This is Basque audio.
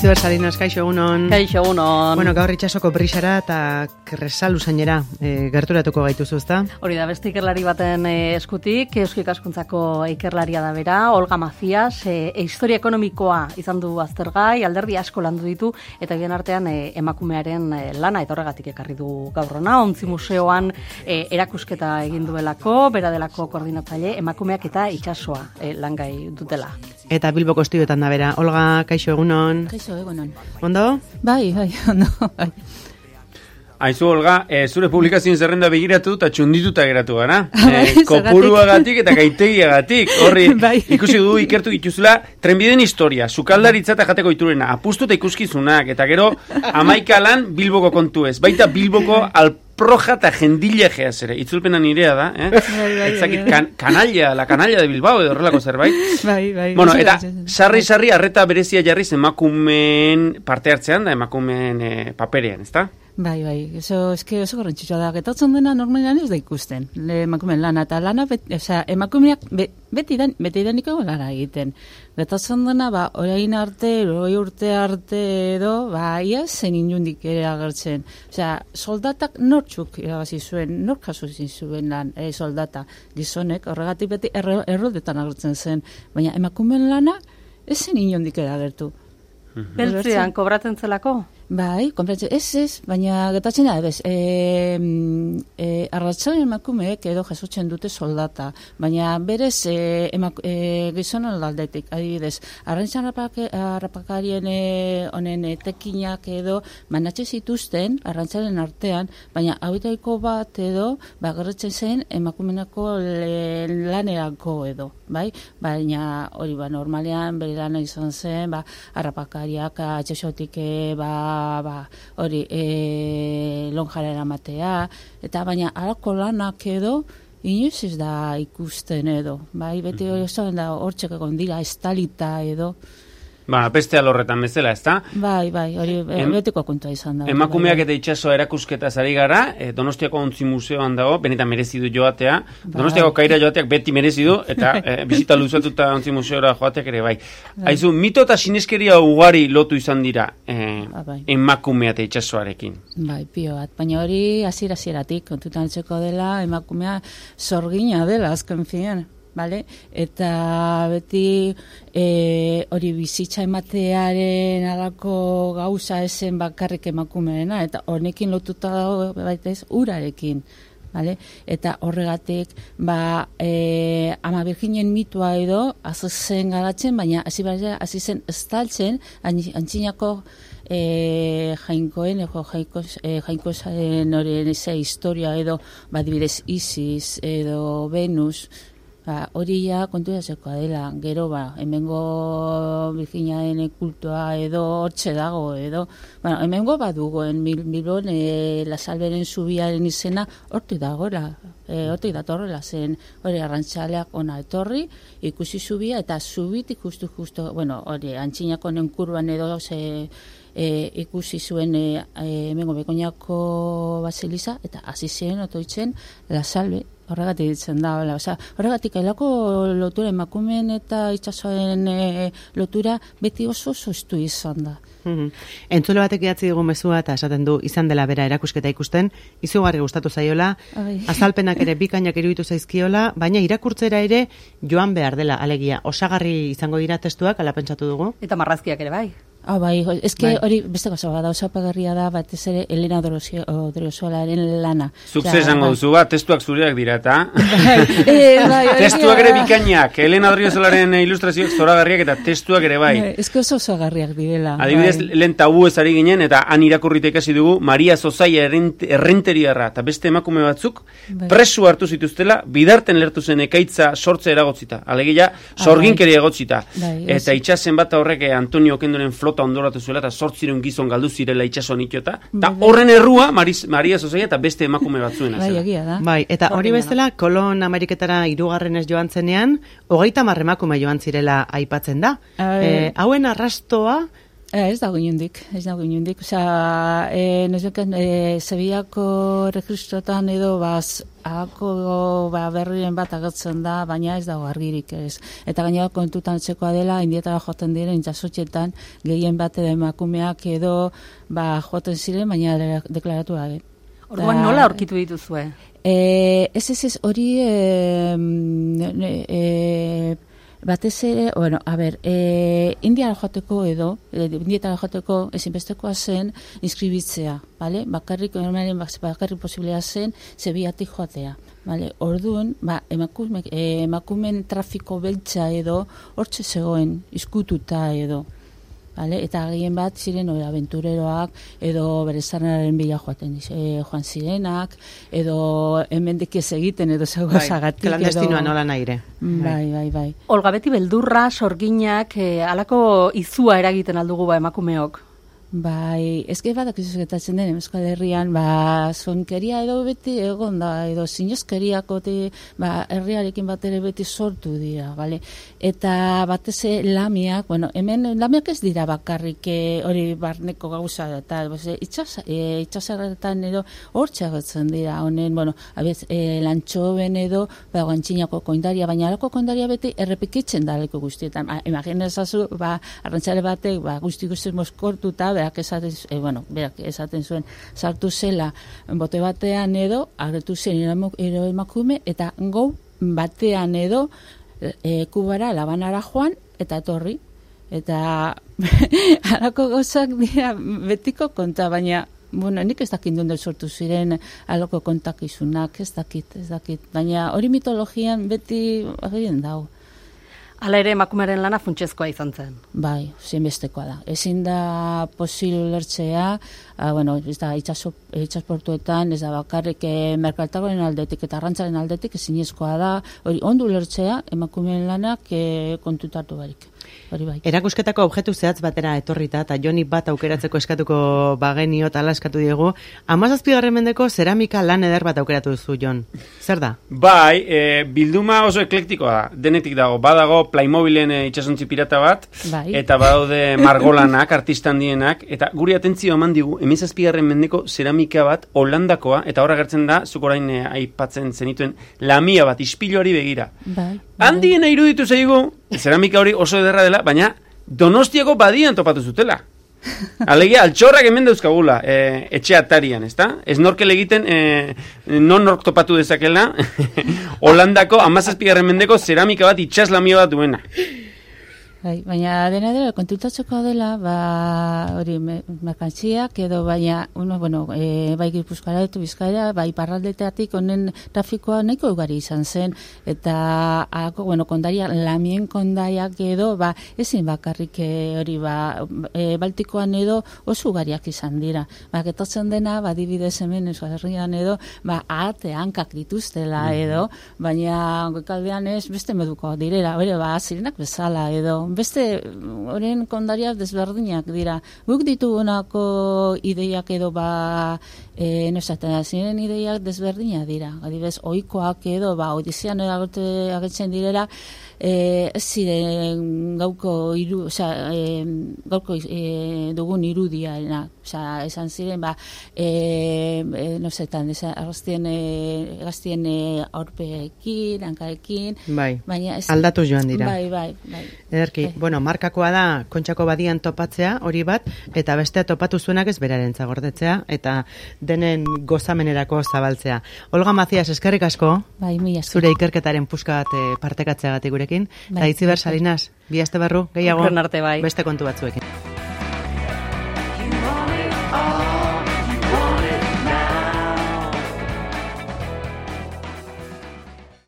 Itziber Salinas, kaixo egunon. Kaixo egunon. Bueno, gaur itxasoko brisara eta Kresal usainera gerturatuko gaituzu, ezta? Hori da, beste ikerlari baten eskutik, Eusko Ikaskuntzako ikerlaria da bera, Olga Macias, historia ekonomikoa izan du aztergai, alderdi asko landu ditu, eta bien artean emakumearen lana, eta horregatik ekarri du gaur hona, Ontzi Museoan erakusketa egin duelako, bera delako koordinatzaile, emakumeak eta itsasoa langai dutela. Eta Bilboko estudioetan da bera. Olga, kaixo egunon. Kaixo egunon. Ondo? Bai, ondo. Bai. Aizu, Olga, zure publikazioen zerrenda begiratu eta txundituta geratu gara. Kopuruagatik eta gaitegiagatik. Horri, ikusi du ikertu dituzula, trenbideen historia, sukaldaritza eta jateko iturena, apustu eta ikuskizunak, eta gero, 11 lan Bilboko kontu ez. Baita Bilboko alproja eta jendilegeaz ere. Itzulpena nirea da, Etzakit, la canalla de Bilbao, edo horrelako zerbait. Bai. Bueno, eta sarri arreta berezia jarriz emakumeen parte hartzean da, emakumeen paperean, ezta? Bai, oso garrantzitsua da. Getatzen dena normalean ez da ikusten. Emakumeen lana eta lana, emakumeak beti daniko lana egiten. Getatzen dena, orain arte, 20 urte arte edo, ia zen inundik ere agertzen. Soldatak nortzuk irabazi zuen, nork jaso zuen lan soldata. Gizonek, horregatik beti errodetan agertzen zen. Baina emakumeen lana ez zen inundik ere agertu. Beltzean, kobratzen zelako? Bai, konpratzen, ez, baina getatzen da, arratzaren emakumeek edo jasotzen dute soldata, baina berez gizonen aldetik, adibidez, arrantzan harrapakarien honen tekinak edo manatxe zituzten arrantzaren artean, baina hauetaiko bat edo, gerretzen zen emakumenako lanerako edo, bai? Baina hori, normalean bere lana izan zen, harrapakariak atxesotik, hori lonjara eramatea, eta baina halako lanak edo inoiz ez da ikusten edo, bai, beti hori da hortxek egon dira estalita edo. Beste alorretan bezala, ezta? Bai, hori betiko kontua izan da. Emakumeak eta itsasoa erakusketa ari gara, Donostiako Ontzi Museoan dago, benetan merezi du joatea. Donostiako Kaira joateak beti merezi du, eta bisita luzatuta Ontzi Museora joateak ere bai. Aizu, mito eta sineskeria ugari lotu izan dira emakumea eta itsasoarekin. Bai, pio bat, baina hori hasieratik kontutan hartzeko dela, emakumea sorgina dela azken finean. Vale? Eta beti hori bizitza ematearen alako gauza esen bakarrik emakumeena, eta honekin lotuta dago baita ez urarekin. Vale? Eta horregatik Ama Virginen mitua edo azuzen garatzen, baina hasi zen estaltzen antzinako jainkoen jainkozaren horien historia edo badibidez Isis edo Venus. Hori ja konturatzeko dela, gero hemengo Virginiaen kultua edo hortxe dago edo, hemengo badugoen Bilbon La Salberen zubiaren izena hortik dagoela, hortik datorrela zen, hori arrantzaleak ona etorri, ikusi zubia eta zubitik justu, hori antzinako nenkurban edo ikusi zuen hemengo Begoñako baseliza eta hasi zen otoitzen La Salbe. Horregatik ditzen da, horregatik ailako lotura emakumeen eta itsasoaren lotura beti oso estu izan da. Entzule batek idatzi digun mezua eta esaten du izan dela bera erakusketa ikusten, izugarri gustatu zaiola, azalpenak ere bikainak iruditu zaizkiola, baina irakurtzera ere joan behar dela, alegia, osagarri izango dira testuak, ala pentsatu dugu. Eta marrazkiak ere bai. Bai, eske hori beste gauza da, osapagarria da, batez ere Elena Odriozoalaren lana. Zuk esango duzu testuak zureak dira, eta? Testuak ere bikainak, Elena Odriozoalaren ilustrazioak zoragarriak eta testuak ere bai. Eske osagarriak direla. Adibidez, lehen tabu ez ari ginen, eta han irakurrita ikasi dugu, Maria Zozaia errenteriarra, eta beste emakume batzuk, presu hartu zituztela, bidarten lertu zen ekaitza sortze eragotzita. Alegia, sorginkeria egotzita. Eta itxasen bat horrek Antonio Okendoren flota ondoratu zuela, eta 800 gizon galdu zirela itsasoan itxota, eta horren errua Maria Zozaia eta beste emakume batzuena zela. Bai, eta hori bezala, Kolon Ameriketara 3. joan zenean, 30 emakume joan zirela aipatzen da. Hauen arrastoa Ez dago inundik. Osea, nezbeken, Sevillako registrotan edo, hako berrien bat agertzen da, baina ez dago argirik ez. Eta gainera kontutan txekoa dela, indietara joten diren jasotxetan, gehien bat edo emakumeak edo, joten ziren, baina deklaratu gabe. Orduan nola aurkitu dituzue? Ez, hori... batez ere, Indiara joateko Indietara joateko ezinbestekoa zen inskribitzea, bale? Bakarrik posiblea zen Sevillatik joatea, bale? Orduan, emakumen trafiko beltza edo hortxe zegoen, izkututa edo. Vale? Eta gehien bat ziren aventureroak edo bere zarnaren bila joan zirenak edo hemendik ez egiten edo zagozagatik. Klandestinoan nola naire. Bai. Olga, beti beldurra, sorginak, halako izua eragiten aldugu emakumeok? Bai, ezke badak izuzketatzen den Euskal Herrian, zonkeria edo beti egon da, edo zinezkeriako herriarekin bat ere beti sortu dira, bale? Eta batez lamiak, hemen lamiak ez dira bakarrik hori barneko gauza da, eta itxasarretan edo hor txagotzen dira, honen, lantxoben edo, guantxinako koindaria, baina alako koindaria beti errepikitzen da leko guztietan. Imaginezazu, arrantzale batek, guzti moskortuta, berak esaten zuen, sartu zela bote batean edo, agertu zen emakume, eta gau batean edo Kubara, Labanara joan, eta etorri. Eta halako gauzak dira betiko konta, baina nik ez dakit dut sortu ziren halako kontakizunak, ez dakit. Baina hori mitologian beti agirien dago. Hala ere, emakumearen lana funtsezkoa izan zen. Bai, zinbestekoa da. Ezin da posible ulertzea, ez da itxasportuetan, ez da bakarrik merkaltagoren aldetik eta arrantzaren aldetik ezinezkoa da, hori ondo ulertzea emakumeen lanak kontutatu barik. Hori bai. Erakusketako objektu zehatz batera etorrita, eta Joni bat aukeratzeko eskatuko bagenio, tala eskatu diegu, 17. mendeko zeramika lan eder bat aukeratu duzu, Jon. Zer da? Bai, bilduma oso eklektikoa da. Denetik badago Playmobilen itxasontzi pirata bat, bai. Eta badaude margolanak, artista handienak, eta guri atentzio eman digu, 17. mendeko zeramika bat, Holandakoa, eta horra gertzen da, zuk orain aipatzen zenituen, lamia bat, ispiluari begira. Bai. Handiena iruditu zaigu, zeramika hori oso ederra dela, baina Donostiako badian topatu zutela. Alegia, altxorrak hemen dauzkagula, etxe atarian, ezta? Ez norkel egiten, nork topatu dezakela, Holandako 17. mendeko zeramika bat itxaslamio bat duena. Baina dena kontutatzeko dela, hori merkantziak edo baina, bai Gipuzkoara edo Bizkaira, bai Iparraldeetatik honen trafikoa nahiko ugari izan zen, eta kondaria, lamien kondaiak edo, ezin bakarrik hori, Baltikoan edo oso ugariak izan dira. Getotzen dena, dibidez hemen Euskal Herrian edo, ahate hankak dituztela edo, baina goikaldean ez beste meduko direla, zirenak bezala edo, beste horren kondariak desberdinak dira. Guk ditugunako ideiak edo ziren ideiak desberdinak dira. Adibidez, ohikoak edo, Odisean agertzen direla, ez ziren gauko dugun irudia, esan ziren, gaztien aurpeekin, hankarekin. Bai, aldatu joan dira. Bai. Ederki, markakoa da Kontxako badian topatzea, hori bat, eta bestea topatu zuenak ez beraren zagordetzea, eta denen gozamenerako zabaltzea. Olga Macias, eskerrik asko, zure ikerketaren puska bat partekatzeagatik gurekin, eta Itziber Salinas, bi aste barru, gehiago, beste kontu batzuekin.